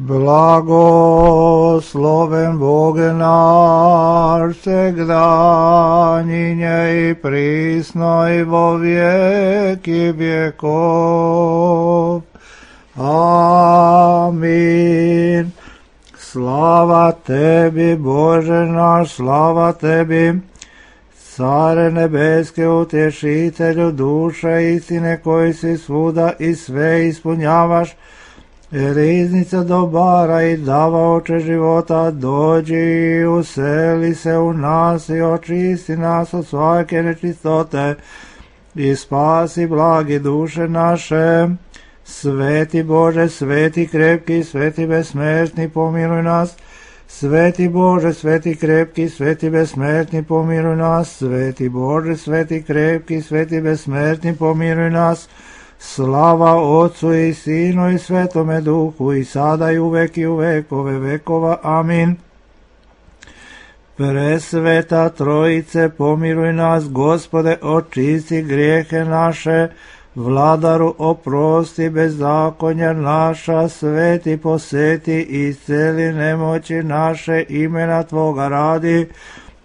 Blagosloven Bog naš, всегда, ныне и присно и во веки веков. Аминь. Слава Теби, Боже наш, слава Теби, Царе небески, утешителю душа истine, koji si svuda i sve ispunjavaš, riznica dobara i davaoče života, dođi i useli se u nas i očisti nas od svake nečistote i spasi blagi duše naše. Sveti Bože, sveti krepki, sveti besmrtni, pomiluj nas. Sveti Bože, sveti krepki, sveti besmrtni, pomiluj nas. Sveti Bože, sveti krepki, sveti besmrtni, pomiluj nas. Slava Otcu i Sinu i Svetome Duhu, i sada i uvek i u vekove vekova. Amin. Presveta Trojice, pomiluj nas. Gospode, očisti grijehe naše. Vladaru, oprosti bezakonja naša. Sveti, poseti i isceli nemoći naše, imena Tvoga radi.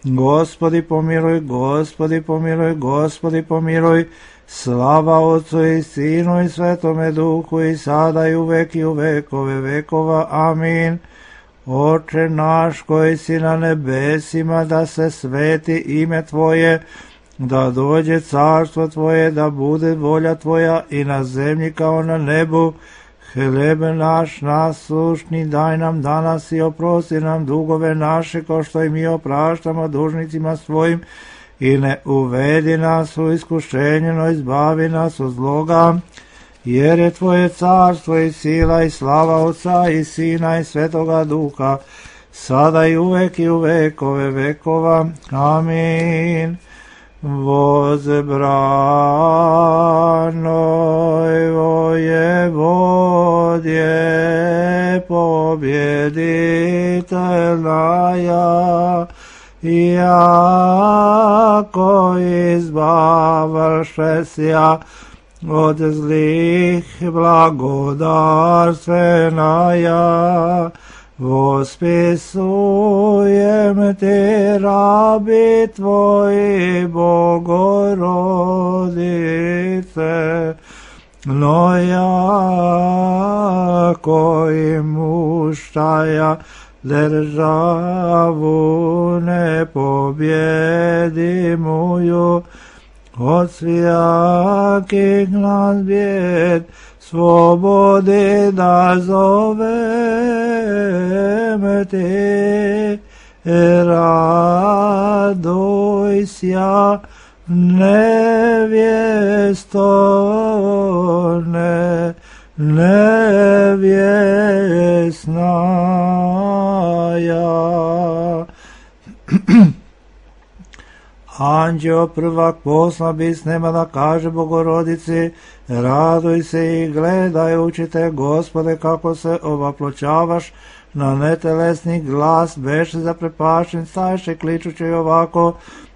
Gospodi pomiluj, Gospodi pomiluj, Gospodi pomiluj. Slava Otcu i Sinu i Svetome Duhu, i sada i uvek i u vekove vekova. Amin. Oče naš koji si na nebesima, da se sveti ime Tvoje, da dođe carstvo Tvoje, da bude volja Tvoja i na zemlji kao na nebu. Hljeb naš nasušni daj nam danas i oprosti nam dugove naše, kao što i mi opraštamo dužnicima svojim, i ne uvedi nas u iskušenje, no izbavi nas od zloga. Jer je Tvoje carstvo i sila i slava Otca i Sina i Svetoga Duha, sada i uvek i u vekove vekova. Amin. Возбранoj воеводje, побjeditelnaja, jako izbavšesja od zlih blagodarstvenaja, vospisujem Ti, rabi Tvoji, Bogorodice, no jako imuštaja državu nepobjedimuju, od svijakih nas bijed slobodi da zovem Ti. Radujся, nevjesto, nevjesnaja. Anđeo prvak posla bis nema da kaže Bogorodici, raduj se i gledajući Te, Gospode, kako se ovaploćavaš na netelesni glas, beše zaprepašten, stajše kličući ovako,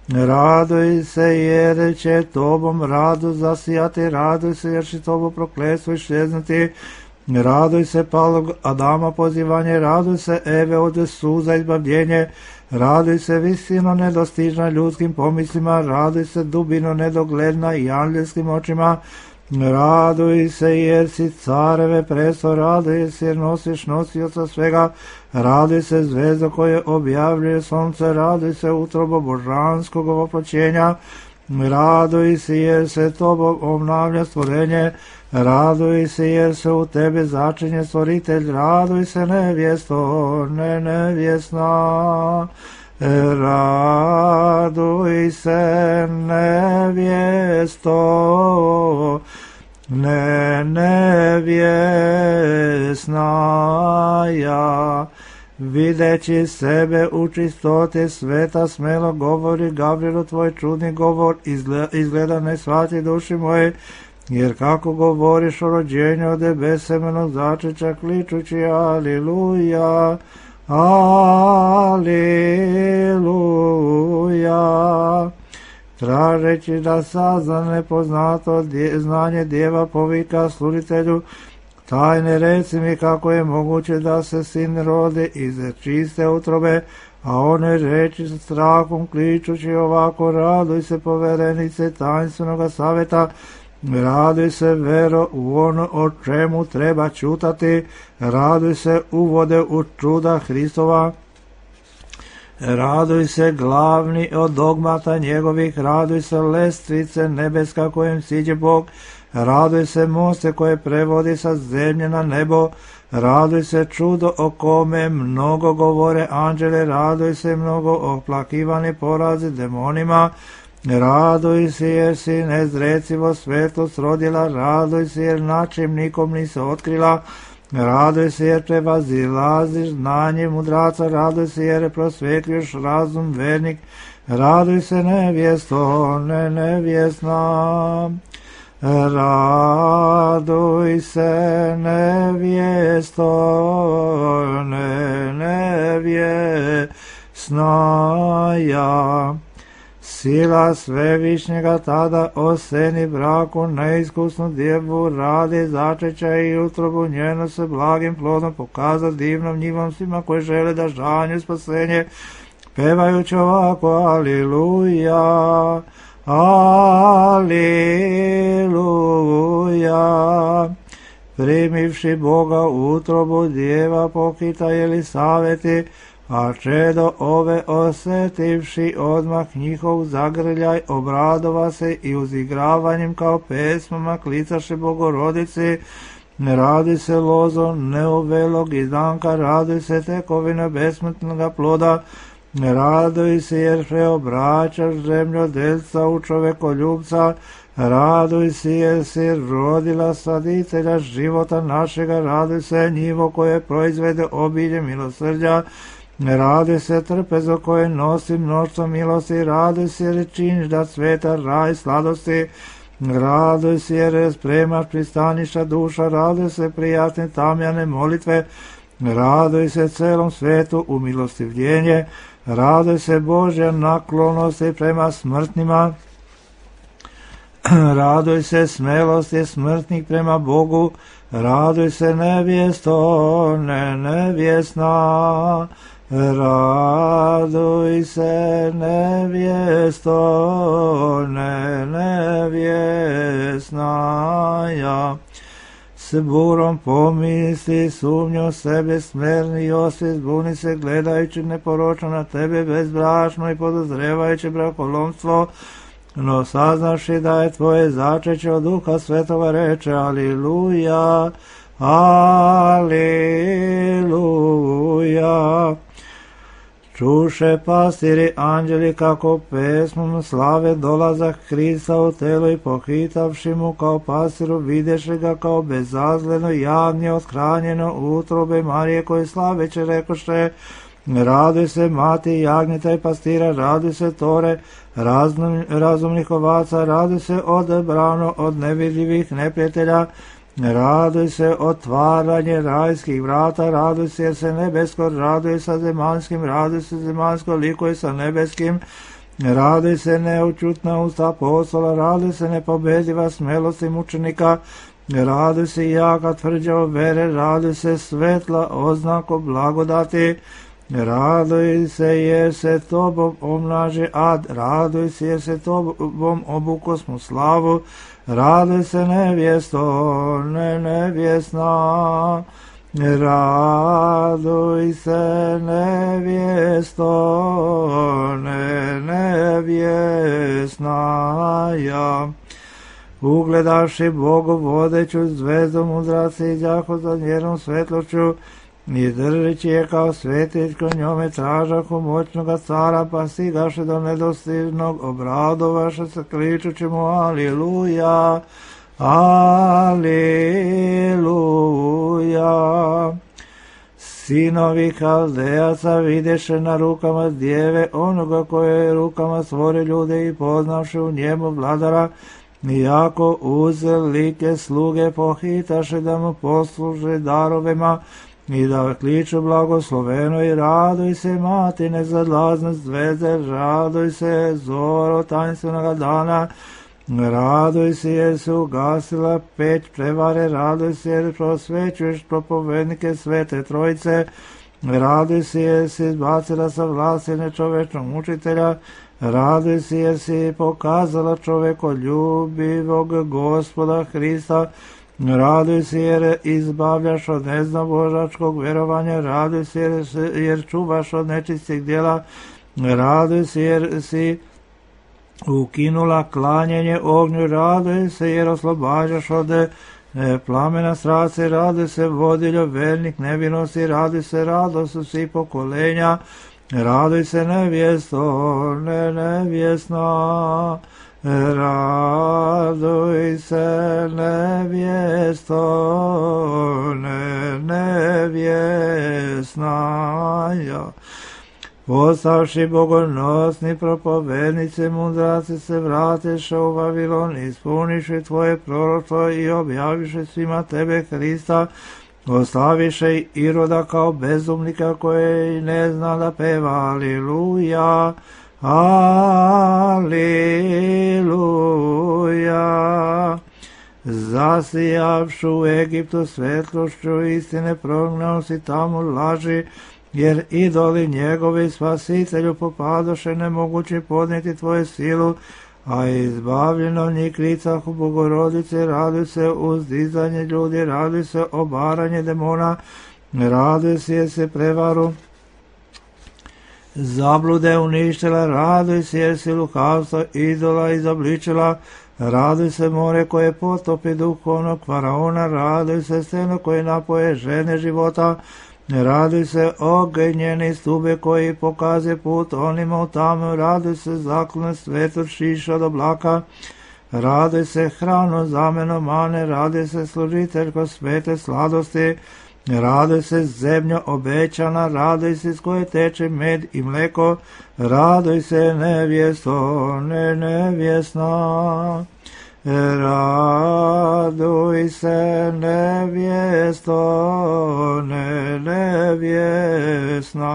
raduj se jer će Tobom radu zasijati, raduj se jer će Tobu prokletstvo iščeznuti, raduj se palog Adama pozivanje, raduj se Eve od suza izbavljenje, raduj se visino nedostižna ljudskim pomislima, raduj se dubino nedogledna i anđelskim očima, raduj se jer si careve presto, raduj se jer nosiš nosioca svega, raduj se zvezdo koje objavljuje sunce, raduj se utrobo božanskog ovoploćenja, raduj se jer se Tobom obnavlja stvorenje, raduj se jer se u Tebe začinje stvoritelj, raduj se nevjesto, nevjesna, raduj se nevjesto, nevjesnaja. Videći sebe u čistoti sveta, smelo govori Gavrilu Tvoj čudni govor, izgleda ne shvati duši moje, jer kako govoriš o rođenju od besemenog začeća, kličući aliluja, aliluja. Tražeći da sazna nepoznato znanje djeva povika sluditelju, tajne reci mi kako je moguće da se sin rodi iz čiste utrobe, a one reči sa strahom kličući ovako: raduj se poverenice tajinstvenoga saveta, raduj se vero u ono o čemu treba čutati, raduj se uvode u čuda Hristova, raduj se glavni od dogmata njegovih, raduj se lestvice nebeska kojem siđe Bog, raduj se moste koje prevodi sa zemlje na nebo, raduj se čudo o kome mnogo govore anđele, raduj se mnogo oplakivani porazi demonima, raduj se jer si nezrecivo svetlost rodila, raduj se jer način nikom nisi otkrila, raduj se jer prevazilaziš znanje mudraca, raduj se jer prosvetljuješ razum vernik, raduj se nevjesto, ne nevjesna, raduj se nevjesto, ne nevjesna ja. Sila svevišnjega tada oseni braku neiskusnu djevu, radi začeća i utrobu njenu se blagim plodom pokaza divnom njivom svima koji žele da žanju spasenje, pevajući ovako: aliluja, aliluja. Primivši Boga u utrobu djeva pokita Jelisaveti, a čedo ove osetivši odmah njihov zagrljaj, obradova se i uzigravanjem kao pesmama klicaše Bogorodici. Radi se lozo neuvelog izdanka, radi se tekovina besmrtnoga ploda, raduj se jer preobraćaš zemljodelca u čovekoljubca, raduj se jer si rodila saditelja života našega, raduj se njivo koje proizvede obilje milosrđa, raduj se trpezo koje nosi mnoštvo milosti, raduj se jer činiš da sveta raj sladosti, raduj se jer spremaš pristaništa duša, raduj se prijatne tamjane molitve, raduj se celom svetu umilostivljenje, raduj se Božja naklonosti prema smrtnima, raduj se smelosti smrtnih prema Bogu, raduj se nevjesto, ne nevjesna, raduj se nevjesto, ne nevjesna ja. S burom pomisli, sumnju sebe smerni i osvijest, buni se gledajući neporočno na tebe bezbrašno i podozrevajući brakolomstvo, no saznaši da je tvoje začeće od Duha Svetova, reče: aliluja, aliluja. Čuše pastiri anđeli kako pesmom slave dolazak Hrista u telo i pohitavši mu kao pastiru videše ga kao bezazleno javnje othranjeno utrobe Marije koje slaveće rekoše: raduj se mati jagnjeta i pastira, raduj se tore razumnih ovaca, raduj se odebrano od nevidljivih neprijatelja, raduj se otvaranje rajskih vrata, raduj se jer se nebesko raduje sa zemanskim, raduj se zemansko likuje sa nebeskim, raduj se neučutna usta apostola, raduj se nepobediva smelosti mučenika, raduj se jaka tvrđava vere, raduj se svetla oznako blagodati, raduj se jer se tobom omnaže ad, raduj se jer se tobom obukosmo slavu, raduj se nevjesto, ne nevjesna, raduj se nevjesto, ne nevjesna ja. Ugledavši Bogu vodeću zvezdu mudraci iđahu za njenom svetlošću, i držeći je kao svetiljko njome tražahu moćnoga cara, pa stigaše do nedostižnog, obradovaše se kličući mu: aliluja, aliluja. Sinovi Haldejaca videše na rukama djeve onoga koje je rukama stvori ljude i poznavši u njemu vladara, iako uze like sluge pohitaše da mu posluže darovima i da kliču blagosloveno i raduj se mati nezadlazne zvezde, raduj se zoro tajinstvenoga dana, Raduj se jer se ugasila peć prevare, raduj se jer prosvećuješ propovednike Svete Trojice, raduj se jer si izbacila sa vlasti nečovečnog mučitelja, raduj se jer si pokazala čovekoljubivog Gospoda Hrista, raduj se jer izbavljaš od neznabožačkog vjerovanja, raduj se jer čuvaš od nečistih djela, raduj se jer si ukinula klanjenje ognju, raduj se jer oslobađaš od plamena strasti, raduj se vodiljo vernik nevinosti, raduj se radost svih pokolenja, raduj se nevjesto, nevjesna, raduj se nevjesto, nevjesna. Postavši bogonosni propovednice, mudraci se vratiše u Vavilon, ispuniše tvoje proroštvo i objaviše svima tebe Hrista, oslaviše i Iroda kao bezumnika koji ne zna da peva. Aliluja, aliluja. Zasijavšu u Egiptu svetlošću istine, prognao si tamo laži, jer idoli njegovi spasitelju popadoše, nemogući podnijeti tvoju silu, a izbavljeno njih klicah u Bogorodice, raduj se uzdizanje ljudi, raduj se obaranje demona, raduj se jer se prevaru zablude uništila, raduj se jer si lukavstvo idola izobličila, raduj se more koje potopi duhovnog faraona, raduj se steno koje napoje žene života, raduj se ognjeni stube koji pokaze put onima u tamu, raduj se zaklone svetog šiša od oblaka, raduj se hrano zameno mane, raduj se služiteljko svete sladosti, raduj se zemlja obećana, raduj se s koje teče med i mleko, raduj se nevjesto, nevjesna. Raduj se nevjesto, nevjesna.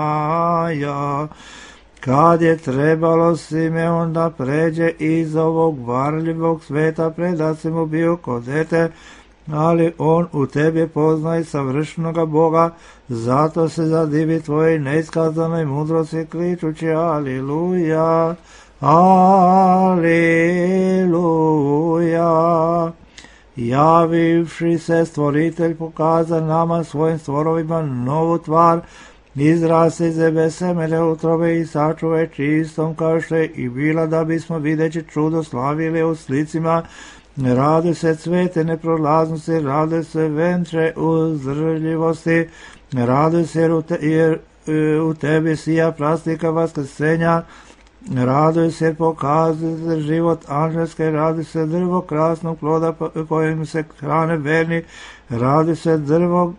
Kad je trebalo Simeon da pređe iz ovog varljivog sveta, predat si mu bio ko dete, ali on u tebi poznaje savršenoga Boga, zato se zadivi tvojoj neiskazanoj mudrosti, kličući aliluja, aliluja. Javivši se stvoritelj pokaza nama svojim stvorovima novu tvar, izrasti zebe semele utrobe i sačuvaj čistom kao što je i bila, da bismo videći čudo slavili u slicima. Raduj se cvete neprolaznosti, raduj se ventre uzdržljivosti, raduj se jer u tebi sija prastika vaskrsenja, raduj se pokazuje život anđelske, raduj se drvo krasnog ploda kojim se hrane verni, raduj se drvo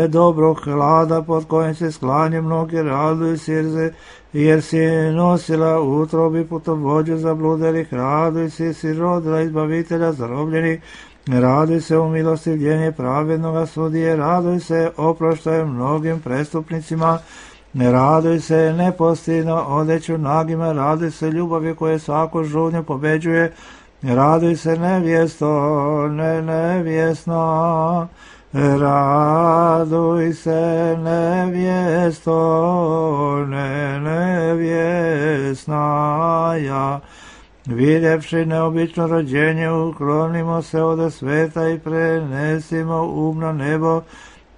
dobrog hlada pod kojim se sklanje mnogi, raduj se jer si nosila u utrobi putovođu zabludelih, raduj se si rodila izbavitelja zarobljenih, raduj se u milostivljenje pravednoga sudije, raduj se oproštaje mnogim prestupnicima, ne raduj se nepostidno odeću nagima, raduj se ljubavi koje svaku žudnju pobeđuje, raduj se nevjesto, nevjesna, raduj se nevjesto, nevjesna. Vidjevši neobično rođenje, uklonimo se od sveta i prenesimo na nebo,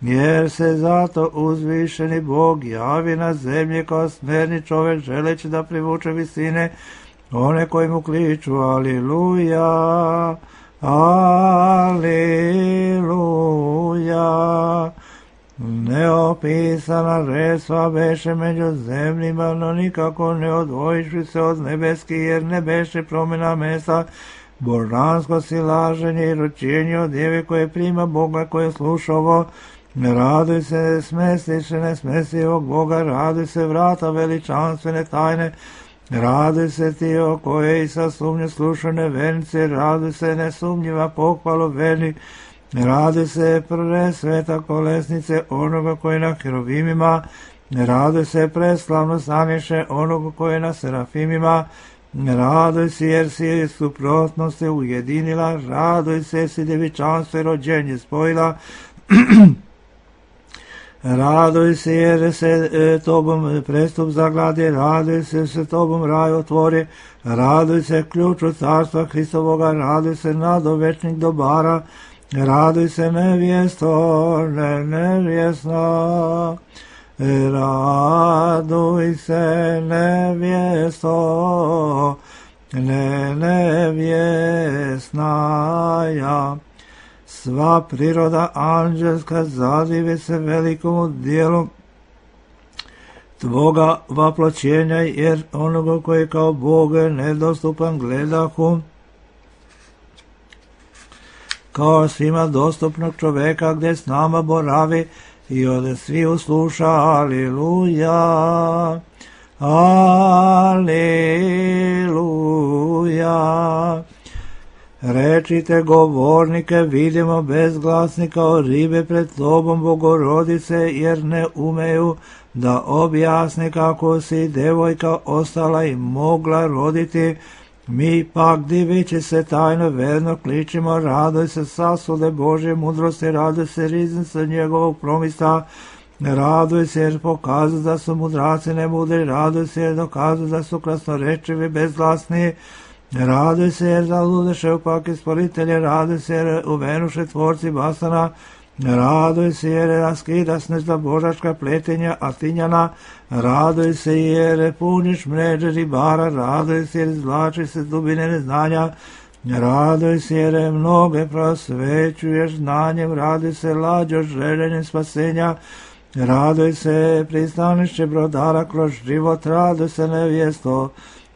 jer se zato uzvišeni Bog javi na zemlji kao smerni čovjek, želeći da privuče visine one koji mu kliču aliluja, aliluja. Neopisana resva beše među zemljima, no nikako ne odvojiši se od nebeski, jer ne beše promjena mesta, božansko silaženje i ročenje od djeve koje prima Boga, koje sluša ovo. Raduj se smestiše nesmestivog Boga, raduj se vrata veličanstvene tajne, raduj se ti o koje i sa sumnje slušane vernice, raduj se nesumnjiva pohvalo vernik, raduj se prve sveta kolesnice onoga koji na herovimima, raduj se preslavno staniše onoga koji na serafimima, Raduj se jer si suprotnost se ujedinila, raduj se jer si djevičanstvo i rođenje spojila, raduj se jer se tobom prestup zagladi, raduj se jer se tobom raj otvori, raduj se ključu carstva Hristovoga, raduj se nadovečnih dobara, raduj se nevjesto, nevjesna, raduj se nevjesto, nevjesnaja. Sva priroda anđelska zadive se velikomu dijelu tvoga vaploćenja, jer onoga koji kao Bog nedostupan gledahu, kao svima dostupnog čoveka gdje s nama boravi i ode svi usluša. Aliluja, aliluja. Rečite govornike, vidimo bezglasni kao ribe pred tobom, Bogorodice, jer ne umeju da objasni kako si devojka ostala i mogla roditi. Mi pak divići se tajno verno kličimo, raduj se sasude Božje mudrosti, raduj se riznice njegovog promista, raduj se jer pokazuju da su mudraci nemudri, raduj se jer dokazuju da su krasnorečivi bezglasni, raduj se jer zaludeše opak isporitelje, raduj se jer uvenuše tvorci basana, raduj se jer raskida snezda božačka pletenja Atinjana, raduj se jer puniš mreže ribara, raduj se jer izvlači se dubine neznanja, raduj se jer mnoge prosvećuješ znanjem, raduj se lađo željenjem spasenja, raduj se pristanišće brodara kroz život, raduj se nevjesto,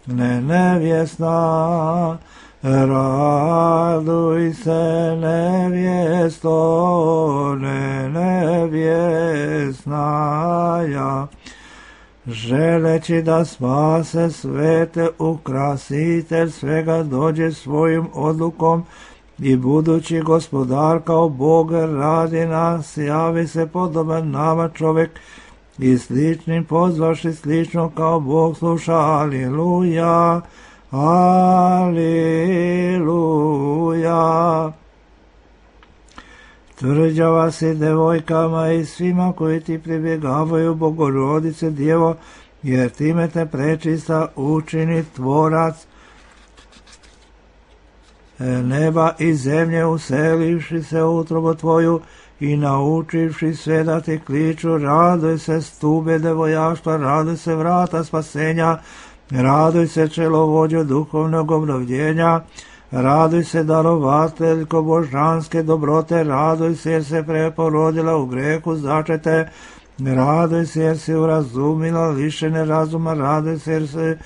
nevjesna, raduj se nevjesto, nevjesnaja. Želeći da spase svete, ukrasitelj svega dođe svojim odlukom i budući gospodar kao Bog radi nas, javi se podoban nama čovjek i sličnim pozvaši slično kao Bog sluša. Aliluja, aliluja. Tvrđava si devojkama i svima koji ti pribjegavaju, Bogorodice Djevo, jer time te prečista učini tvorac neba i zemlje, uselivši se u utrobu tvoju i naučivši sve da ti kliču. Raduj se stube devojaštva, raduj se vrata spasenja, raduj se čelovođo duhovnog obnovljenja, raduj se darovateljko božanske dobrote, raduj se jer se preporodila u grehu začete, raduj se jer si urazumila lišene razuma, raduj se jer se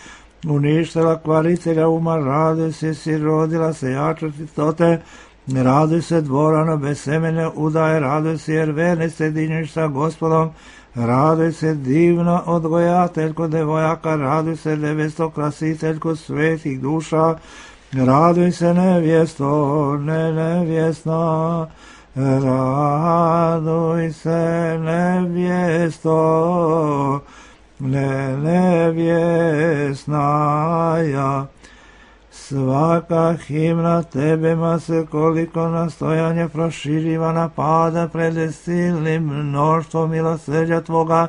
uništila kvaritelja uma, raduj se jer si rodila sejača čistote, raduj se dvorano bez semene udaje, raduj se jer verni sjediniš sa Gospodom, raduj se divna odgojateljko devojaka, raduj se nevesto krasiteljko svetih duša, raduj se nevjesto, nevjesna, raduj se nevjesto, nevjesnaja. Svaka himna tebema se koliko nastojanje proširiva napada pred silnim mnoštvom milosrđa tvoga,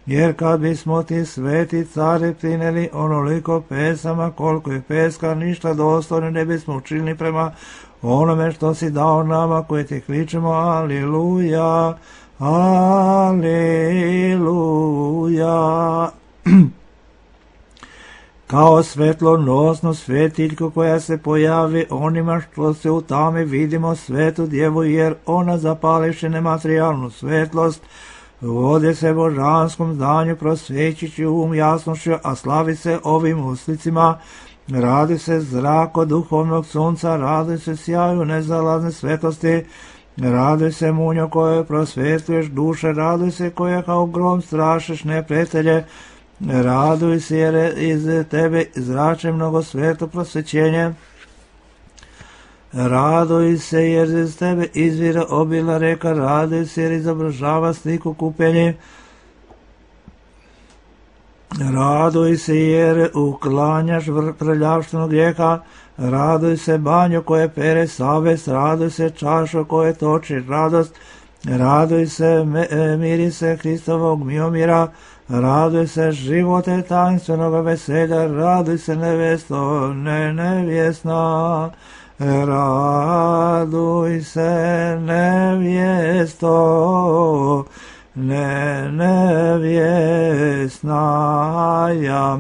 jer kad bismo ti sveti cari prineli onoliko pesama koliko je peska, ništa dostojno ne bismo učinili prema onome što si dao nama koji ti kličemo. Aliluja, aliluja. Kao svetlonosnu svetiljku koja se pojavi onima što se u tami, vidimo svetu djevu, jer ona zapališe nematerijalnu svetlost, vode se božanskom zdanju, prosvećići jasnošću, a slavi se ovim uslicima. Radi se zrako duhovnog sunca, radi se sjaju nezalazne svetlosti, radi se munjo koje prosvetuješ duše, radi se koja kao grom strašiš neprijatelje, raduj se jer iz tebe izrače mnogo sveto prosvećenje, raduj se jer iz tebe izvira obila reka, raduj se jer izobražava sliku kupenje, Raduj se jer uklanjaš prljavštinu grijeha, raduj se banjo koje pere savest, raduj se čašo koje toči radost, raduj se mirise Hristovog miomira, raduj se živote tanstvenoga veselja, raduj se nevesto, nevjesna, raduj se nevjesto, nevjesnaja,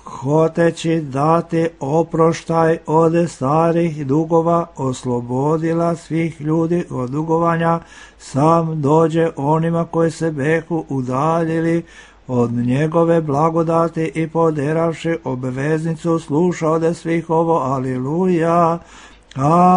hoteći dati oproštaj od starih dugova, oslobodila svih ljudi od dugovanja, sam dođe onima koji se behu udaljili od njegove blagodati i poderavši obveznicu sluša ode svih ovo, aliluja, aliluja.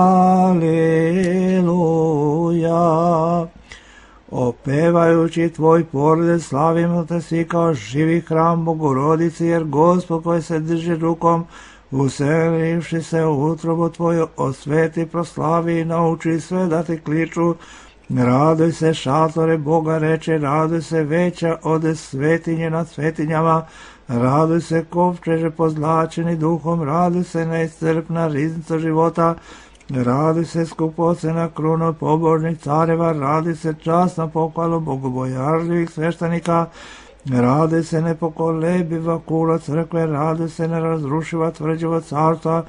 Opevajući tvoj porode slavimo te svi kao živi hram Bogorodici, jer Gospod koji se drži rukom, uselivši se u utrobu tvoju, osveti, proslavi i nauči sve da ti kliču. Raduj se šatore Boga reče, raduj se veća od svetinje nad svetinjama, raduj se kovčeže pozlačeni duhom, raduj se neiscrpna riznica života, raduj se skupocena kruna pobožnih careva, raduj se časna pohvalu bogobojažljivih sveštenika, raduj se nepokolebiva kula crkve, raduj se nerazrušiva tvrđava carstva,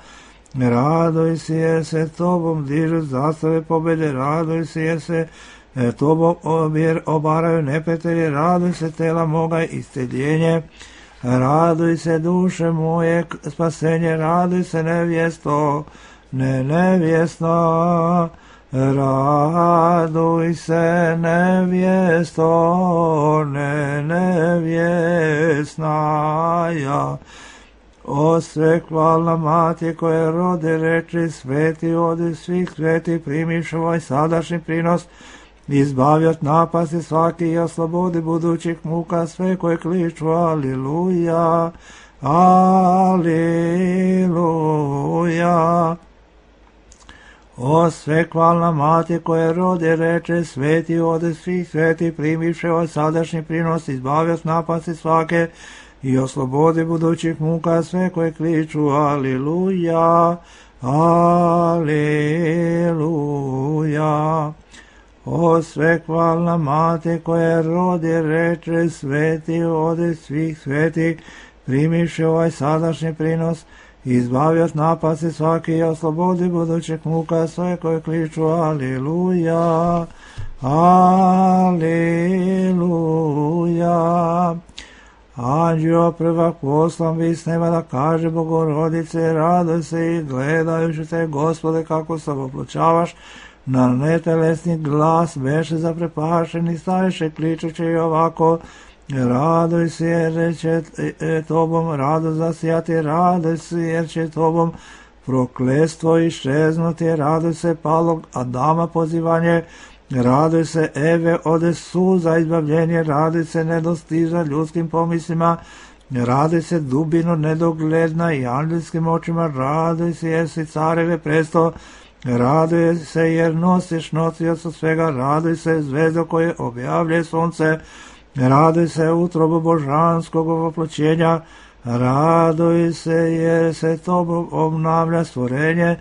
raduj se jer se tobom dižu zastave pobjede, raduj se jer se tobom obaraju neprijatelji, raduj se tela moga isceljenje, raduj se duše moje spasenje, raduj se nevjesto, nevjesna, raduj se nevjesto, nevjesnaja. O sve hvalna mati koje rode reči sveti od svih sveti, primiš ovaj sadašnji prinos, izbavi od napasti svaki i oslobodi budućih muka sve koje kliču aliluja, aliluja. O sve hvalna mati koje rode reče sveti od svih sveti, primiše ovaj sadašnji prinos, izbavi od napasti svake i oslobodi budućih muka sve koje kliču aliluja, aliluja. O sve hvalna mati koje rodi reče sveti od svih sveti, primiše ovaj sadašnji prinos, izbavi od napasti svaki i oslobodi budućih muka sve koje kliču aliluja, aliluja. Anđeo prvak poslan vis neba da kaže Bogorodice, raduj se i gledajući te, Gospode, kako se opločavaš, na netelesni glas beše zaprepašeni, staješe kličući i ovako, raduj se jer će tobom radost zasijati, raduj se jer će tobom prokletstvo iščeznuti, raduj se palog Adama pozivanje, raduj se Eve ode suza izbavljenje, raduj se nedostiža ljudskim pomislima, raduj se dubino nedogledna i anđelskim očima, raduj se jer si careve presto, raduj se jer nosiš nosioca svega, raduj se zvezdo koje objavlje sunce, raduj se utrobu božanskog oploćenja, raduj se jer se tobom obnavlja stvorenje,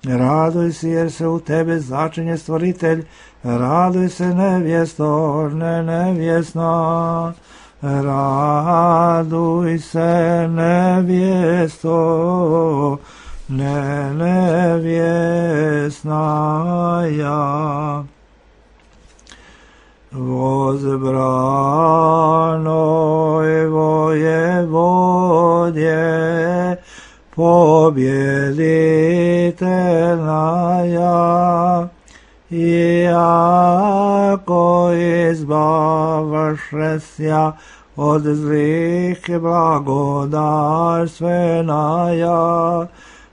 raduj se jer se u tebe začinje stvoritelj, raduj se nevjesto, nevjesna, raduj se nevjesto, nevjesnaja. Возбранoj воеводje, побjeditelnaja, iako izbavašesja od zlih blagodarstvenaja,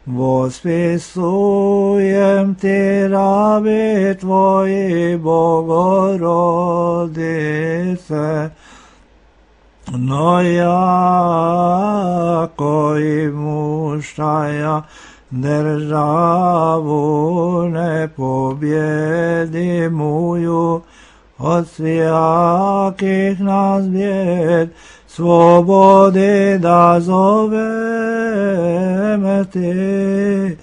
vospisujem ti rabi tvoji Bogorodice, no jako i muštaja državu ne pobjedi muju, od svijakih nas bijed, slobodi da zoveme ti.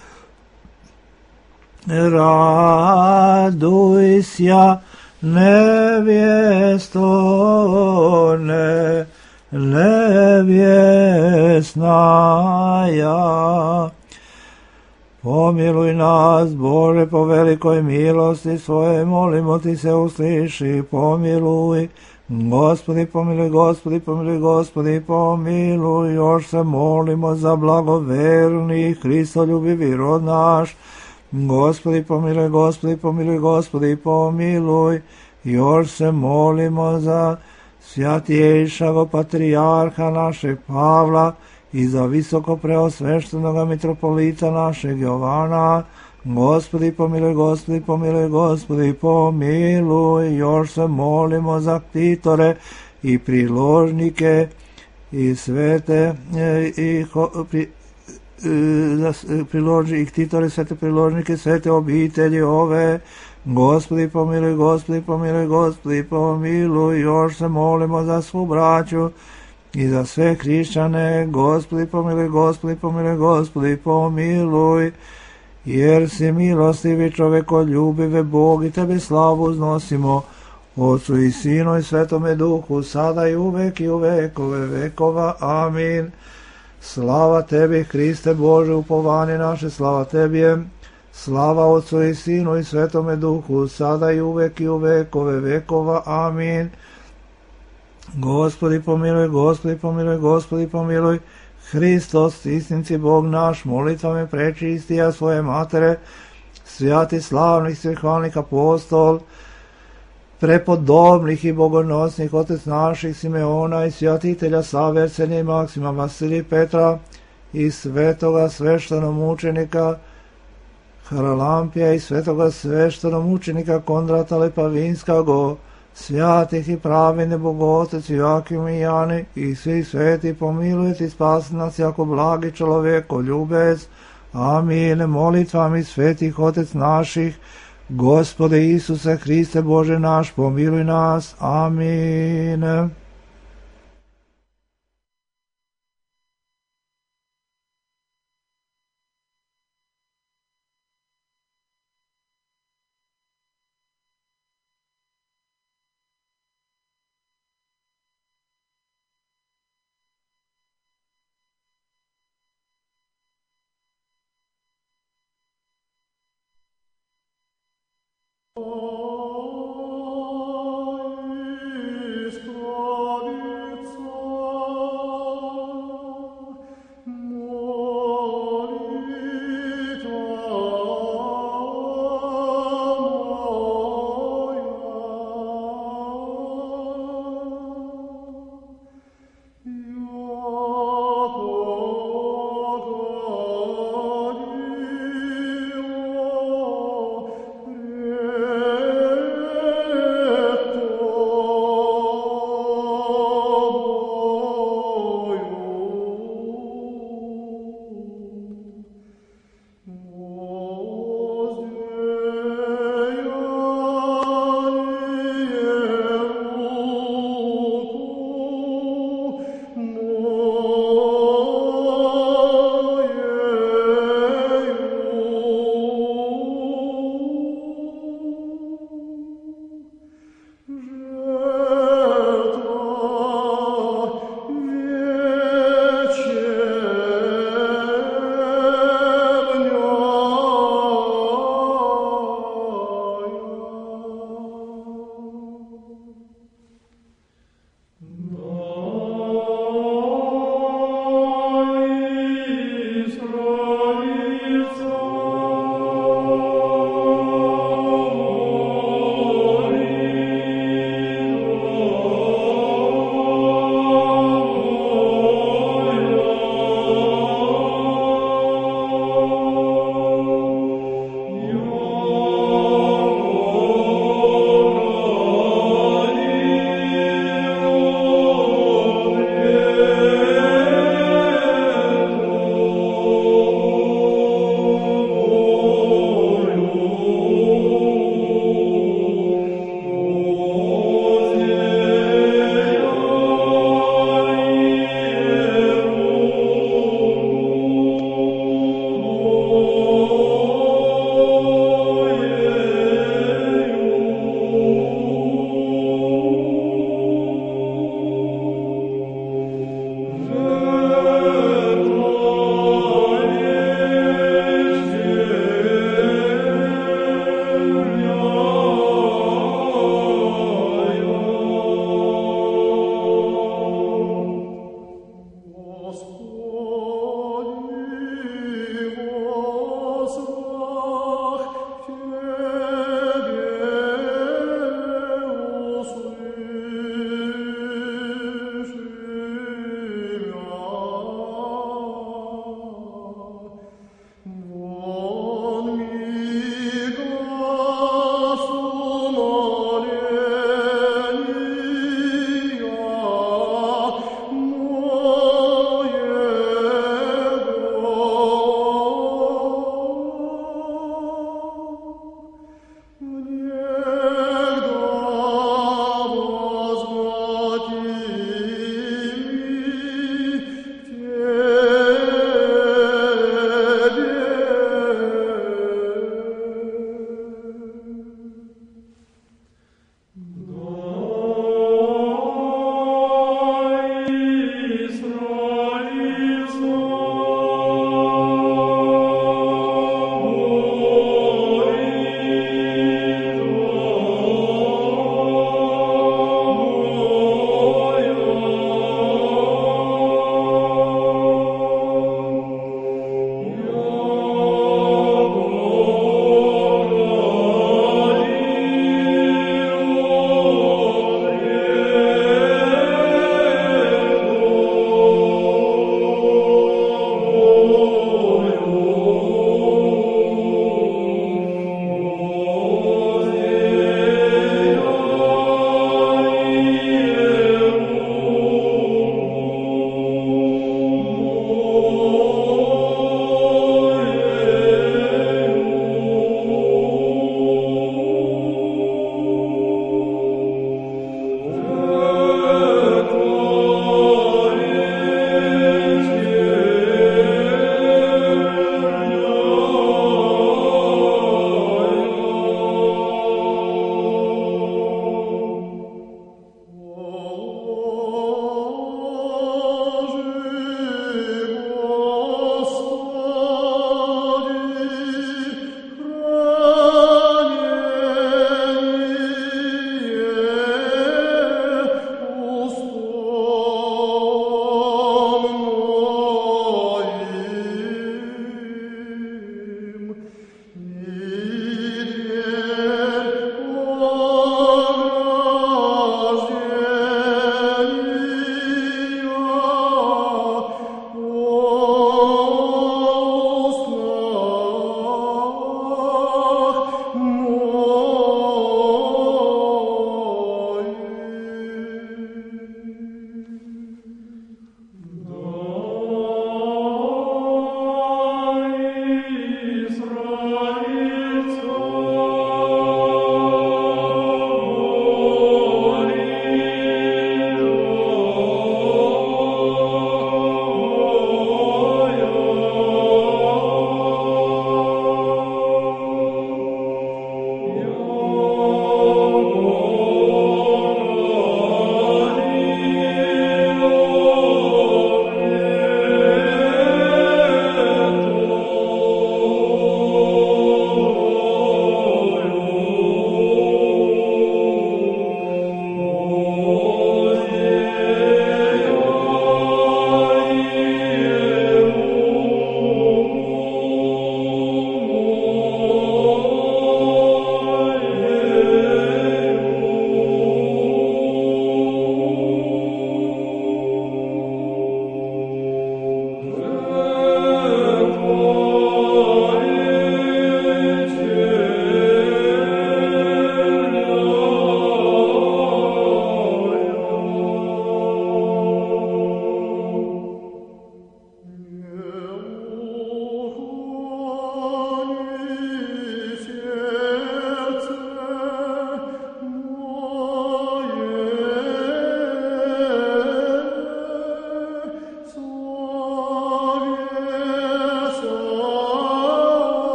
Raduj sja, nevjesto, nevjesnaja. Pomiluj nas, Bože, po velikoj milosti svoje, molimo ti se, usliši, pomiluj. Gospodi, pomiluj, Gospodi, pomiluj, Gospodi, pomiluj. Još se molimo za blagoverni, Hristoljubivi rod naš. Gospodi, pomiluj, Gospodi, pomiluj, Gospodi, pomiluj. Još se molimo za svjatiješago patrijarha našeg Pavla i za visoko preosveštenoga mitropolita našeg Jovana. Gospodi, pomiluj, Gospodi, pomiluj, Gospodi, pomiluj. Još se molimo za ktitore i priložnike i svete ktitore, svete priložnike, svete obitelji ove. Gospodi, pomiluj, Gospodi, pomiluj, Gospodi, pomiluj. Još se molimo za svu braću i za sve hrišćane. Gospodi, pomiluj, Gospodi, pomiluj, Gospodi, pomiluj. Jer si milostivi, čovekoljubive Bog, i tebe slavu uznosimo, Otcu i Sinu i Svetome Duhu, sada i uvek i u vekove vekova. Amin. Slava tebi, Hriste Bože, upovanje naše, slava tebi je. Slava Otcu i Sinu i Svetome Duhu, sada i uvek i u vekove vekova. Amin. Gospodi pomiluj, Gospodi pomiluj, Gospodi pomiluj. Hristos, istinci Bog naš, molitvame prečistija svoje matere, svjati slavnih svihvalnih apostol, prepodobnih i bogonosnih otec naših Simeona i svjatitelja Save, Arsenija i Maksima, Vasilija i Petra i svetoga sveštenomučenika Haralampija i svetoga sveštenomučenika Kondrata Lepavinskago, svjatih i pravine Bogotec Joakim i Jani i svi sveti, pomilujte i spasi nas jako blagi čovjeko ljubec. Amin. Molitvami svetih otec naših, Gospode Isuse Hriste Bože naš, pomiluj nas. Amin.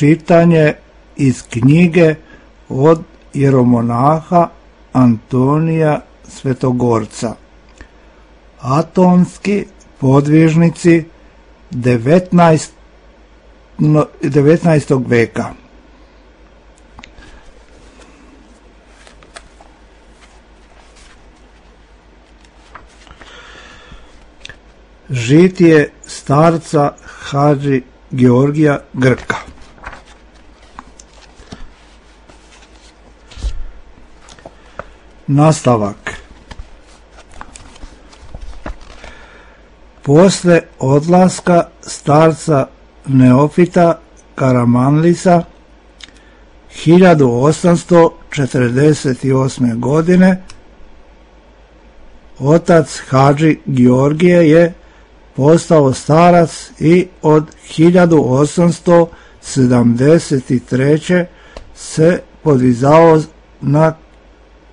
čitanje iz knjige od jeromonaha Antonija Svetogorca. Atonski podvižnici 19. veka. Žitije starca Hadži Georgija Grka. Nastavak. Posle odlaska starca Neofita Karamanlisa 1848. godine otac Hadži Georgije je postao starac i od 1873. se podvizao na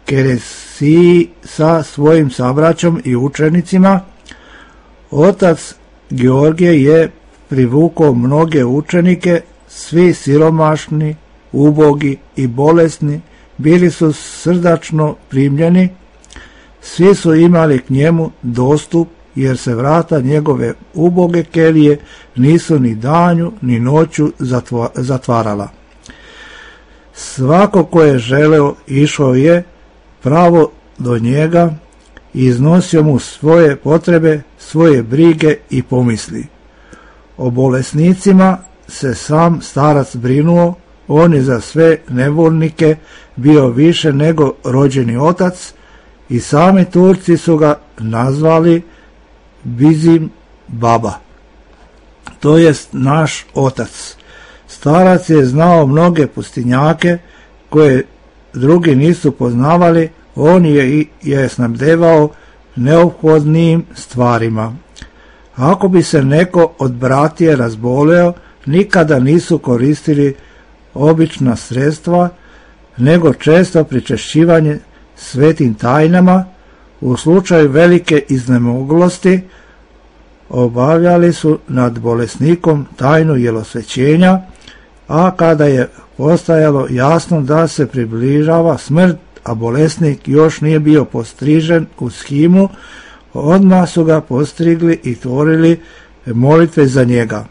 keresiji sa svojim sabraćom i učenicima. Otac Georgije je privukao mnoge učenike, svi siromašni, ubogi i bolesni, bili su srdačno primljeni, svi su imali k njemu dostup, jer se vrata njegove uboge kelije nisu ni danju ni noću zatvarala. Svako ko je želeo išao je pravo do njega i iznosio mu svoje potrebe, svoje brige i pomisli. O bolesnicima se sam starac brinuo, on je za sve nevoljnike bio više nego rođeni otac i sami Turci su ga nazvali Bizim Baba, to jest naš otac. Starac je znao mnoge pustinjake koje drugi nisu poznavali, on je snabdevao neophodnim stvarima. Ako bi se neko od bratije razboleo, nikada nisu koristili obična sredstva, nego često pričešćivanje svetim tajnama. U slučaju velike iznemoglosti obavljali su nad bolesnikom tajnu jelosvećenja, a kada je postajalo jasno da se približava smrt, a bolesnik još nije bio postrižen u shimu, odmah su ga postrigli i tvorili molitve za njega.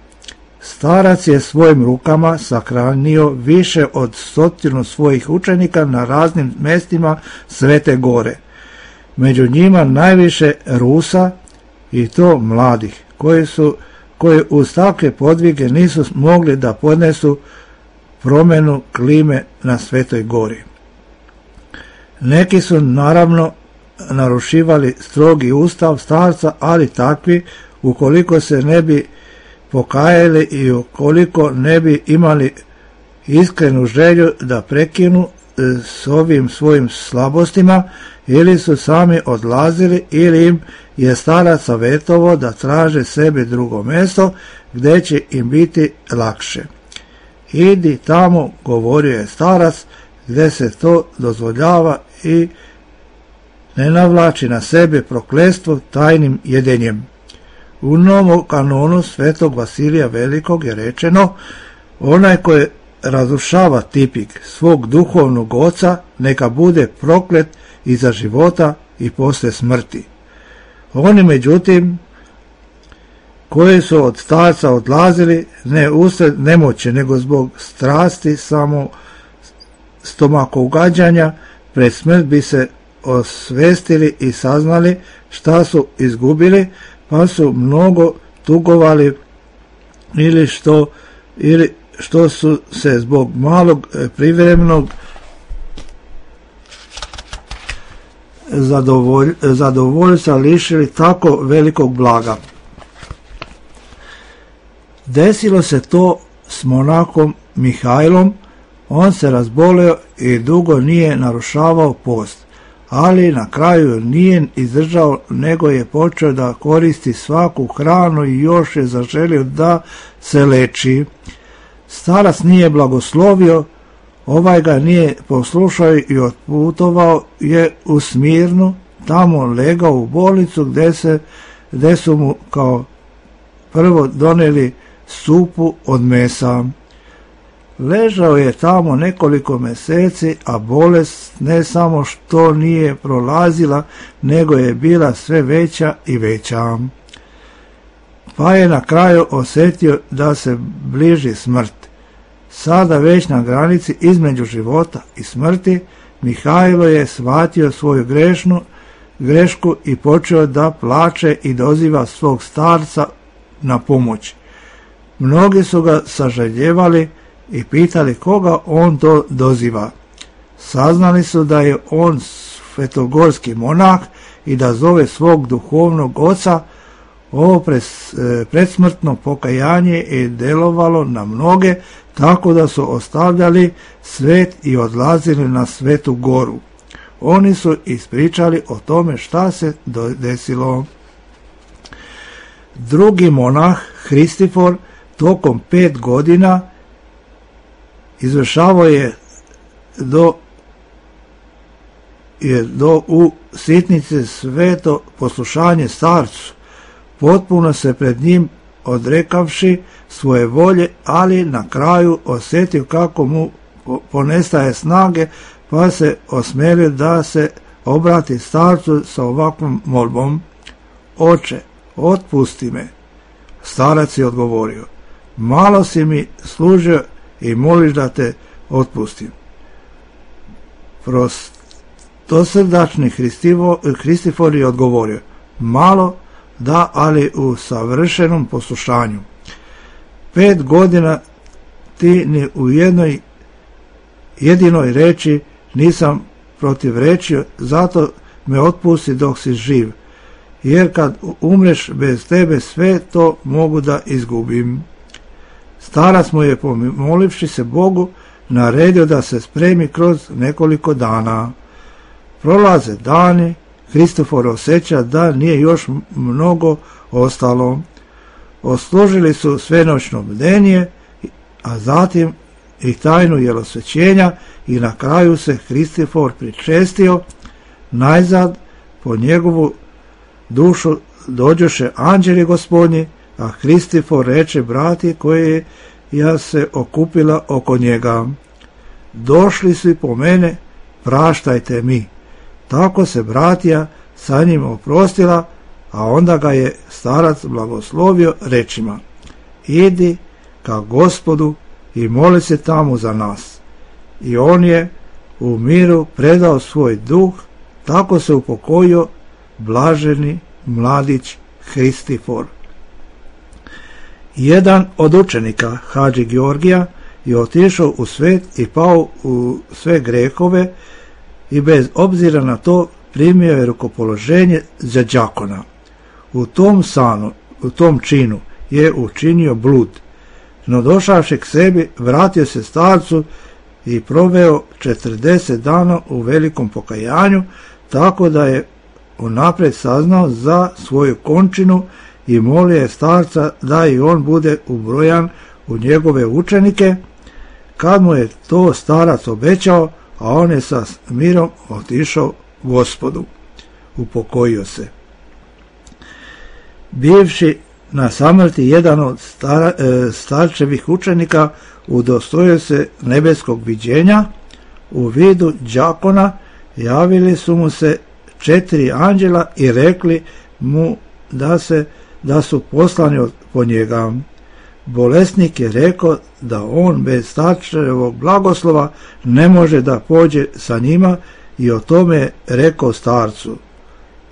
Starac je svojim rukama sahranio više od 100 svojih učenika na raznim mestima Svete Gore. Među njima najviše Rusa, i to mladih, koji uz takve podvige nisu mogli da podnesu promjenu klime na Svetoj Gori. Neki su naravno narušivali strogi ustav starca, ali takvi, ukoliko se ne bi pokajali i ukoliko ne bi imali iskrenu želju da prekinu s ovim svojim slabostima, ili su sami odlazili, ili im je starac savjetovao da traže sebi drugo mjesto gdje će im biti lakše. Idi tamo, govorio je starac, gdje se to dozvoljava i ne navlači na sebe prokletstvo tajnim jedenjem. U Novom kanonu svetog Vasilija Velikog je rečeno: onaj koji razrušava tipik svog duhovnog oca, neka bude proklet i za života i poslije smrti. Oni međutim koji su od starca odlazili ne usred nemoći, nego zbog strasti samo stomakougađanja, pred smrt bi se osvestili i saznali šta su izgubili, pa su mnogo tugovali ili što su se zbog malog privremenog zadovoljstva lišili tako velikog blaga. Desilo se to s monahom Mihajlom, on se razboleo i dugo nije narušavao post, ali na kraju nije izdržao, nego je počeo da koristi svaku hranu i još je zaželio da se leči. Starac nije blagoslovio, ovaj ga nije poslušao i otputovao je u Smirnu, tamo legao u bolnicu gdje su mu kao prvo doneli supu od mesa. Ležao je tamo nekoliko mjeseci, a bolest ne samo što nije prolazila, nego je bila sve veća i veća. Pa je na kraju osjetio da se bliži smrt. Sada već na granici između života i smrti, Mihajlo je shvatio svoju grešku i počeo da plače i doziva svog starca na pomoć. Mnogi su ga sažaljevali i pitali koga on to doziva. Saznali su da je on svetogorski monah i da zove svog duhovnog oca. Ovo predsmrtno pokajanje je delovalo na mnoge, tako da su ostavljali svet i odlazili na Svetu Goru. Oni su ispričali o tome šta se desilo. Drugi monah, Hristifor, tokom 5 godina izvršavao je u sitnici sveto poslušanje starcu, potpuno se pred njim odrekavši svoje volje, ali na kraju osjetio kako mu ponestaje snage, pa se osmelio da se obrati starcu sa ovakvom molbom: Oče, otpusti me. Starac je odgovorio: malo si mi služio i moliš da te otpustim. Prostosrdačni Hristifor je odgovorio: malo, da, ali u savršenom poslušanju. 5 godina ti ni u jednoj jedinoj reči nisam protivrečio, zato me otpusti dok si živ, jer kad umreš bez tebe sve to mogu da izgubim. Starac mu je, pomolivši se Bogu, naredio da se spremi kroz nekoliko dana. Prolaze dani, Hristofor osjeća da nije još mnogo ostalo. Odslužili su svenoćno bdenje, a zatim i tajnu jelosvećenja i na kraju se Hristofor pričestio. Najzad po njegovu dušu dođoše anđeli gospodnji, a Hristofor reče brati koje ja se okupila oko njega: došli su i po mene, praštajte mi. Tako se bratija sa njim oprostila, a onda ga je starac blagoslovio rečima: idi ka Gospodu i moli se tamo za nas. I on je u miru predao svoj duh, tako se upokojio blaženi mladić Hristifor. Jedan od učenika, Hadži Georgija, je otišao u svet i pao u sve grehove i bez obzira na to primio je rukopoloženje za đakona. U tom činu je učinio blud, no došavši k sebi vratio se starcu i proveo 40 dana u velikom pokajanju, tako da je unaprijed saznao za svoju končinu i molio je starca da i on bude ubrojan u njegove učenike. Kad mu je to starac obećao, a on je sa mirom otišao Gospodu, upokojio se. Bivši na samrti jedan od starčevih učenika udostojio se nebeskog viđenja. U vidu đakona javili su mu se 4 anđela i rekli mu da su poslani po njega. Bolesnik je rekao da on bez starčevog blagoslova ne može da pođe sa njima i o tome je rekao starcu.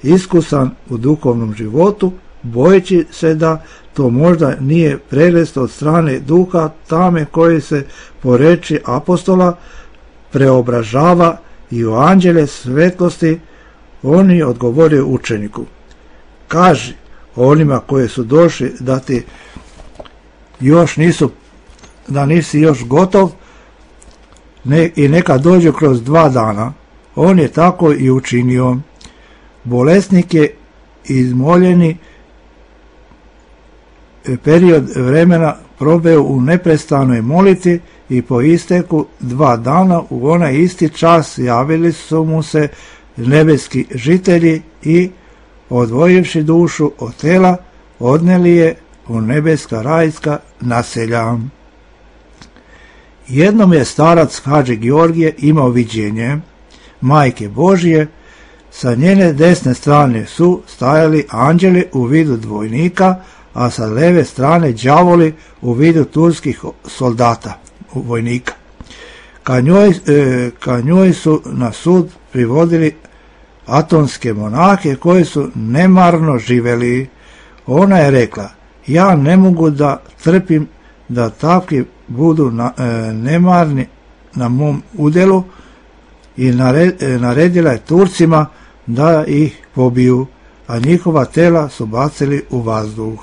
Iskusan u duhovnom životu, bojeći se da to možda nije prelest od strane duha tame koji se po reči apostola preobražava i u anđele svetlosti, on je odgovorio učeniku: kaži onima koji su došli da ti da nisi još gotov i neka dođu kroz 2 dana. On je tako i učinio. Bolesnik je izmoljeni period vremena proveo u neprestanoj molitvi i po isteku 2 dana u onaj isti čas javili su mu se nebeski žitelji i, odvojivši dušu od tela, odneli je u nebeska rajska naselja. Jednom je starac Hadži Georgije imao viđenje Majke Božije. Sa njene desne strane su stajali anđeli u vidu dvojnika, a sa leve strane đavoli u vidu turskih soldata, vojnika. Ka njoj su na sud privodili atonske monahe koji su nemarno živeli. Ona je rekla: ja ne mogu da trpim da takvi budu nemarni na mom udjelu, i naredila je Turcima da ih pobiju, a njihova tela su bacili u vazduh.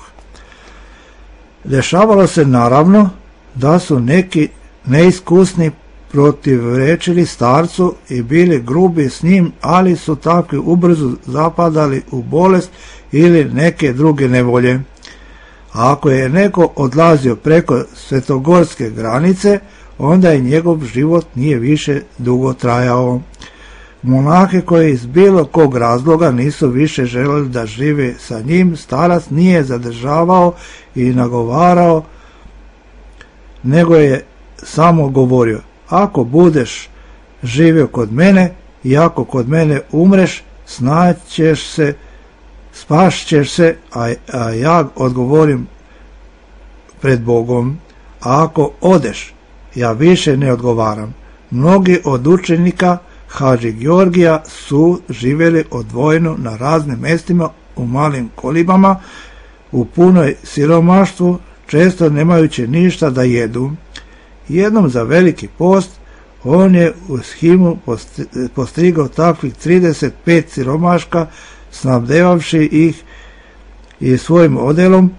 Dešavalo se naravno da su neki neiskusni protivrečili starcu i bili grubi s njim, ali su takvi ubrzo zapadali u bolest ili neke druge nevolje. A ako je neko odlazio preko svetogorske granice, onda je njegov život nije više dugo trajao. Monahe koji iz bilo kog razloga nisu više želeli da žive sa njim, starac nije zadržavao i nagovarao, nego je samo govorio: ako budeš živio kod mene i ako kod mene umreš, spašćeš se, a ja odgovorim pred Bogom. A ako odeš, ja više ne odgovaram. Mnogi od učenika Hadži Georgija su živjeli odvojeno na raznim mjestima u malim kolibama, u punoj siromaštvu, često nemajući ništa da jedu. Jednom za veliki post on je u Shimu postigao takvih 35 siromaška, snabdevavši ih i svojim odelom.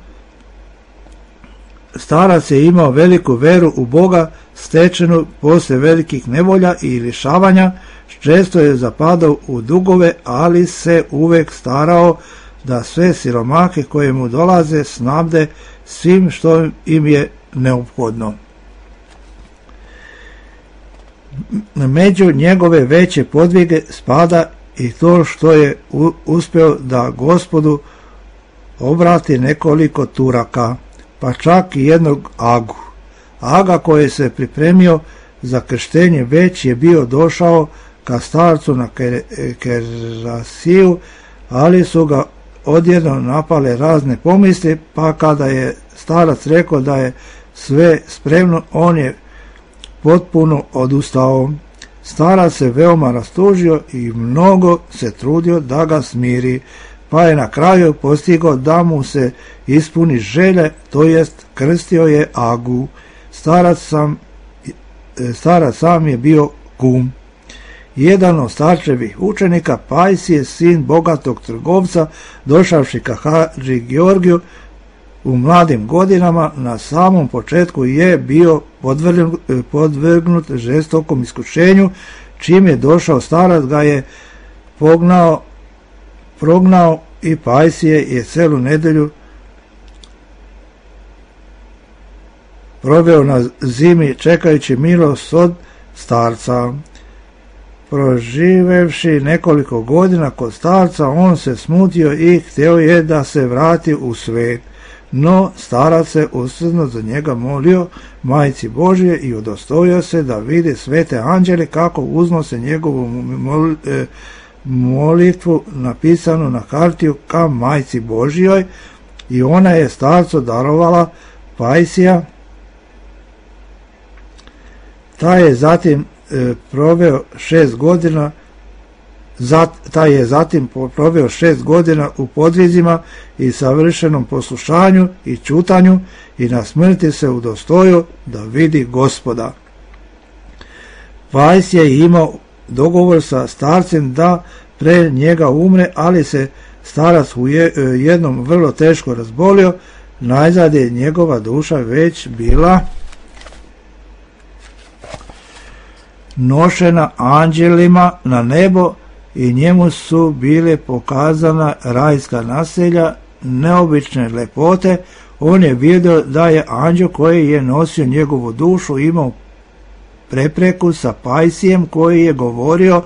Starac je imao veliku veru u Boga, stečenu poslije velikih nevolja i lišavanja. Često je zapadao u dugove, ali se uvek starao da sve siromahe koje mu dolaze snabde svim što im je neophodno. Među njegove veće podvige spada i to što je uspio da Gospodu obrati nekoliko Turaka, pa čak i jednog Agu. Aga koji se pripremio za krštenje već je bio došao ka starcu na Kerasiju, ali su ga odjednom napale razne pomisli, pa kada je starac rekao da je sve spremno, on je potpuno odustao. Starac se veoma rastužio i mnogo se trudio da ga smiri, pa je na kraju postigao da mu se ispuni želje, to jest krstio je Agu. Starac sam je bio kum. Jedan od starčevih učenika, Pajsije, sin bogatog trgovca, došavši ka Hadži Georgiju u mladim godinama, na samom početku je bio podvrgnut žestokom iskušenju. Čim je došao, starac ga je prognao i Pajsije je celu nedelju proveo na zimi čekajući milost od starca. Proživevši nekoliko godina kod starca, on se smutio i htio je da se vrati u svet. No starac se usrdno za njega molio Majci Božje i udostojio se da vidi svete anđele kako uznose njegovu molitvu napisanu na hartiju ka Majci Božjoj, i ona je starcu darovala Pajsija. Taj je zatim proveo 6 godina u podvizima i savršenom poslušanju i čutanju, i na smrti se udostojio da vidi Gospoda. Pajs je imao dogovor sa starcem da pre njega umre, ali se starac u jednom vrlo teško razbolio. Najzad je njegova duša već bila nošena anđelima na nebo i njemu su bile pokazana rajska naselja neobične lepote. On je vidio da je anđel koji je nosio njegovu dušu imao prepreku sa Pajsijem, koji je govorio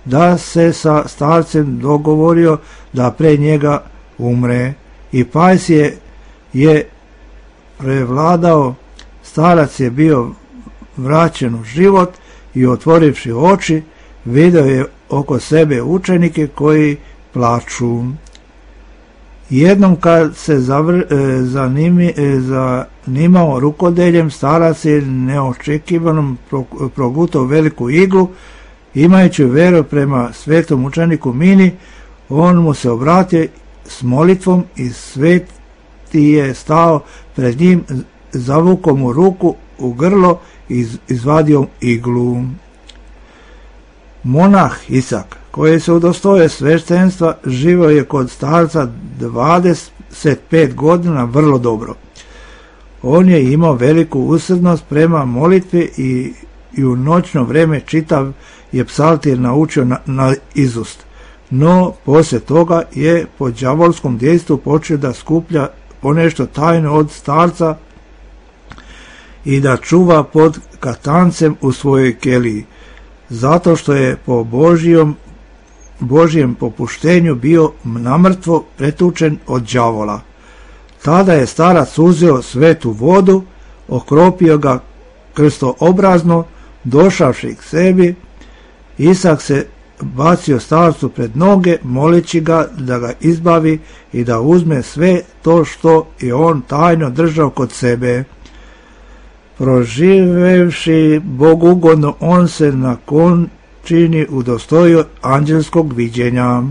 da se sa starcem dogovorio da pre njega umre, i Pajsije je prevladao. Starac je bio vraćen u život i otvorivši oči, vidio je oko sebe učenike koji plaču. Jednom kad se zanimao rukodeljem, starac je neočekivanom progutao veliku iglu. Imajući veru prema svetom učeniku Mini, on mu se obratio s molitvom i sveti je stao pred njim, zavukao mu ruku u grlo i izvadio iglu. Monah Isak, koji se udostojio sveštenstva, živio je kod starca 25 godina vrlo dobro. On je imao veliku usrdnost prema molitvi i u noćno vreme čitav je psaltir naučio na izust. No, poslije toga je po đavolskom dejstvu počeo da skuplja ponešto tajno od starca i da čuva pod katancem u svojoj keliji, zato što je po Božijem popuštenju bio namrtvo pretučen od đavola. Tada je starac uzeo svetu vodu, okropio ga krstoobrazno, došavši k sebi, Isak se bacio starcu pred noge, moleći ga da ga izbavi i da uzme sve to što je on tajno držao kod sebe. Proživevši bogugodno, on se na končini udostojio anđelskog viđenja.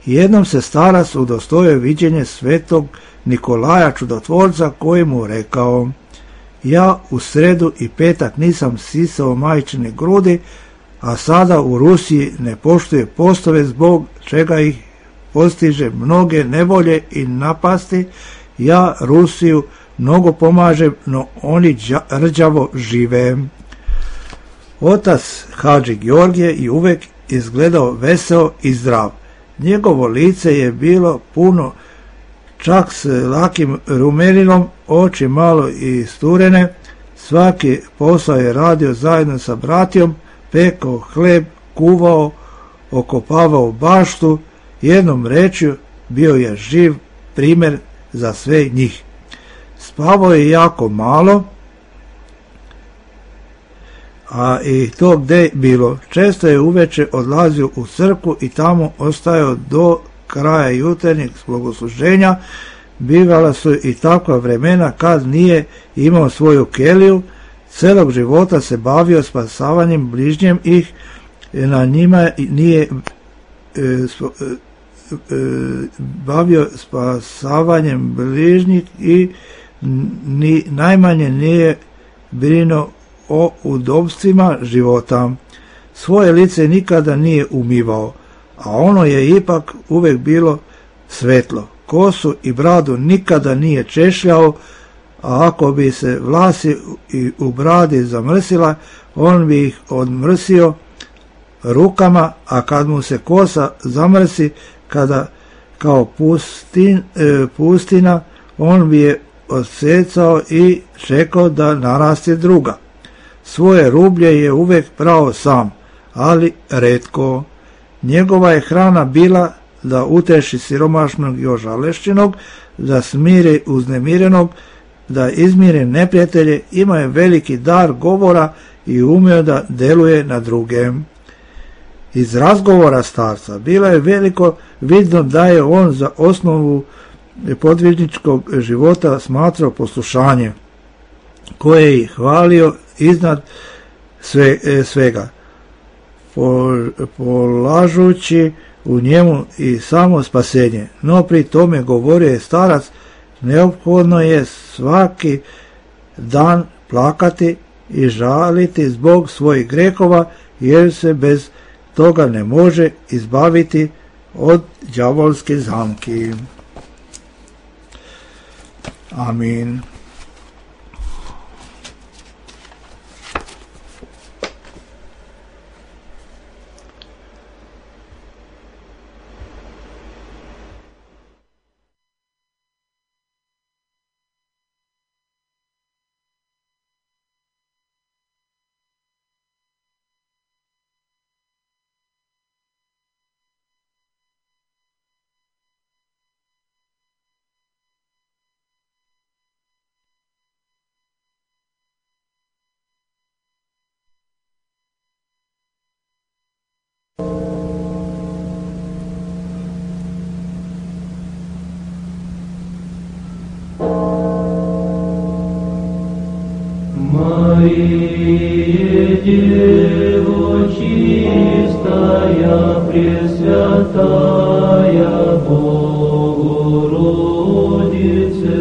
Jednom se starac udostojio viđenje svetog Nikolaja čudotvorca, koji mu rekao: ja u sredu i petak nisam sisao majčine grudi, a sada u Rusiji ne poštuje postove, zbog čega ih postiže mnoge nevolje i napasti. Ja Rusiju mnogo pomažem, no oni rđavo žive. Otac Hadži Georgije je uvek izgledao veseo i zdrav. Njegovo lice je bilo puno, čak s lakim rumeninom, oči malo isturene. Svaki posao je radio zajedno sa bratijom, pekao hleb, kuvao, okopavao baštu. Jednom rečju, bio je živ primjer za sve njih. Spavao je jako malo, a i to gde bilo. Često je uveče odlazio u crkvu i tamo ostajao do kraja jutarnjeg bogosluženja. Bivala su i takva vremena kad nije imao svoju keliju. Celog života se bavio spasavanjem bližnjem ih, na njima nije bavio spasavanjem bližnjih i ni najmanje nije brinuo o udobstvima života. Svoje lice nikada nije umivao, a ono je ipak uvek bilo svetlo. Kosu i bradu nikada nije češljao, a ako bi se vlasi u bradi zamrsila, on bi ih odmrsio rukama, a kad mu se kosa zamrsi kada kao pustina, on bi je odsecao i čekao da naraste druga. Svoje rublje je uvek prao sam, ali retko. Njegova je hrana bila da uteši siromašnog i ožalešćenog, da smiri uznemirenog, da izmiri neprijatelje. Ima je veliki dar govora i umeo da deluje na druge. Iz razgovora starca bila je veliko vidno da je on za osnovu podvižničkog života smatrao poslušanje, koje je hvalio iznad svega, polažući u njemu i samo spasenje. No pri tome, govorio je starac, neophodno je svaki dan plakati i žaliti zbog svojih grehova, jer se bez toga ne može izbaviti od đavolske zamki. Amin. Пресвятая Богородице,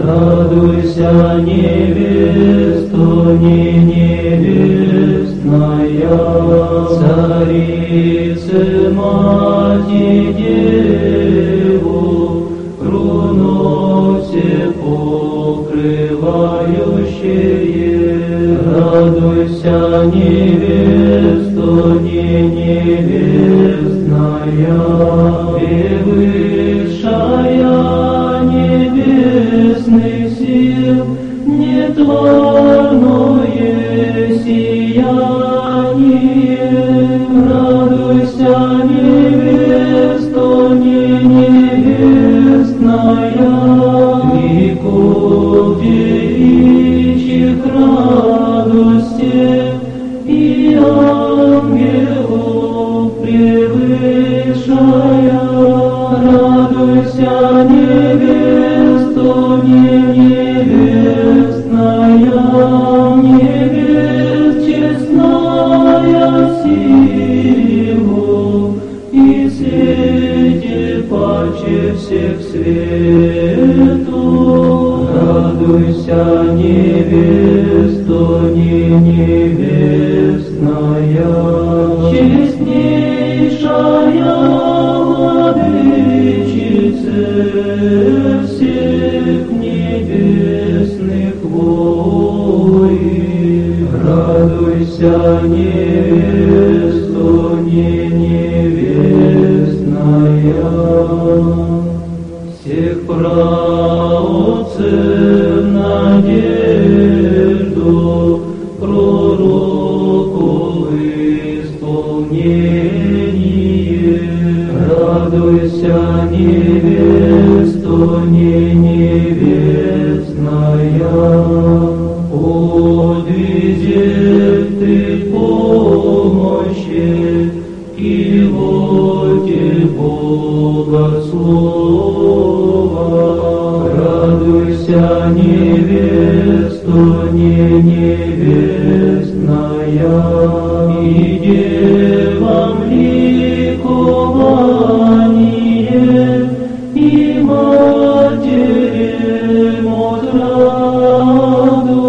радуйся, невесто не невестная, Царице Мати Деву, крону все покрывающее, радуйся, невесто не невестная, превышая небесных сил, нетворное сияние, радуйся, невесто не невестная, веков девичьих радостей и ангелов превышая, радуйся, невесто не невестная, невест честная силу и свете паче всех свету, радуйся, невесто не невестная, честнейшая владычица всех небесных войн, радуйся, невесто не невестная, всех праотцев надежду, пророков исполнение, радуйся, невесто не невестная, подвизет ты помощи и воте Богослова, радуйся, невесто не невестная, и девам ликование, и матерям отраду,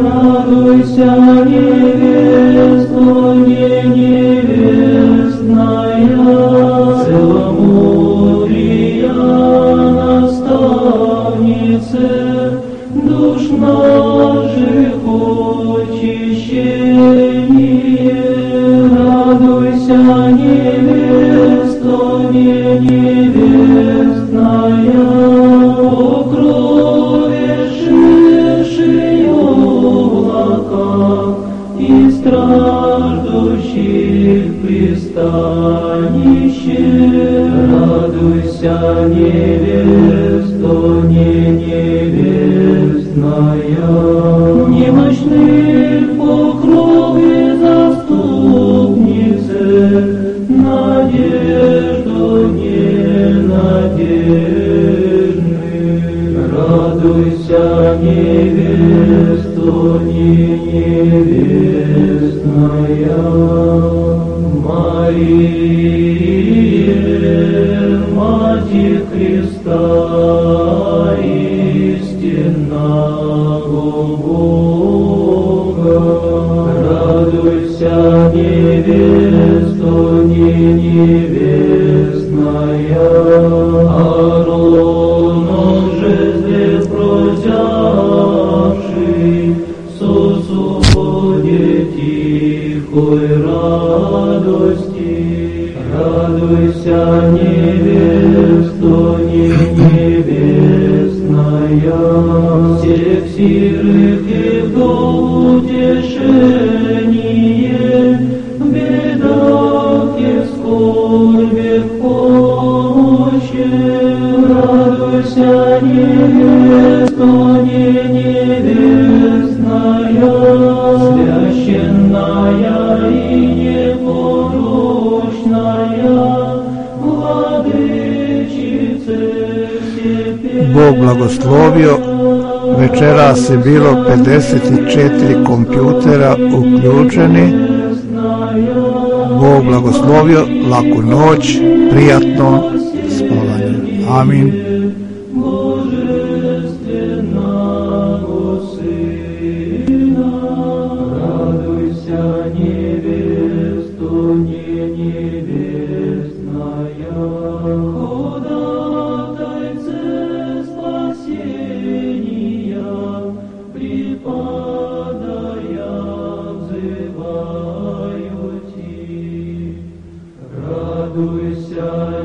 радуйся, невесто не невестная, целомудрия наставнице, душ наших очищение, радуйся, невесто не невестная, покровившие облака и страждущих пристанище, радуйся, невесто не невестная, немощных покровы заступницы, надежду ненадежных, радуйся, невесто не невестная, Мария, Матерь Христа, истинного Бога, радуйся, невесто не невестная, Аароном жезле прозявший, сосуде тихой радости, радуйся, невесто не невестная, всех сирых и вдов утешение, в бедах и в скорбях помощи, радуйся, невесто не невестная, священная и непорочная, владычице всех. Bog blagoslovio, večeras je bilo 54 kompjutera uključeni. Bog blagoslovio, laku noć, prijatno spavanje. Amin. Радуйся,